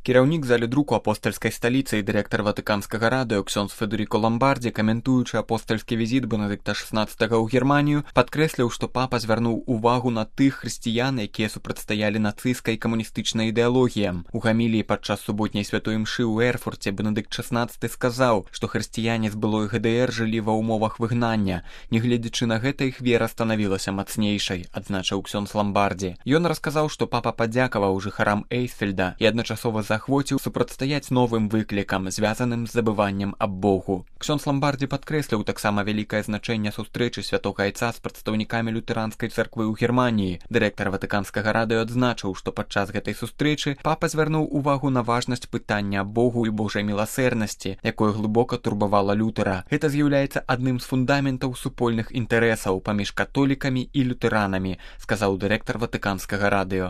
Кіраўнік залі друку апостальскай сталіцы і дырэктар ватыканскага радыё ксёндз Федэріко Ламбардзі, каментуючы апостальскі візіт Бенедыкта XVI ў Германію, падкрэсліў, што папа звярнуў увагу на тых хрысціян, якія супрацьстаялі нацысцкай і камуністычнай ідэалогіям. У гаміліі падчас суботняй святой імшы ў Эрфурце Бенедыкт XVI сказаў, што хрысціяне з былой ГДР жылі ва ўмовах выгнання. Нягледзячы на гэта, іх вера станавілася мацнейшай, адзначыў ксёндз Ламбардзі. Ён расказаў, што папа падзякаваў жыхарам Эйсфельда і адначасова захвоціў супрацьстаяць новым выклікам, звязаным з забываннем аб Богу. Ксёндз Ламбардзі падкрэсліў таксама вялікае значэнне сустрэчы святога айца з прадстаўнікамі лютэранскай царквы ў Германіі. Дырэктар ватыканскага радыё адзначыў, што падчас гэтай сустрэчы папа звярнуў увагу на важнасць пытання аб Богу і Божай міласэрнасці, якое глыбока турбавала Лютера. Гэта з'яўляецца адным з фундаментаў супольных інтарэсаў паміж католікамі і лютэранамі, сказаў дырэктар ватыканскага радыё.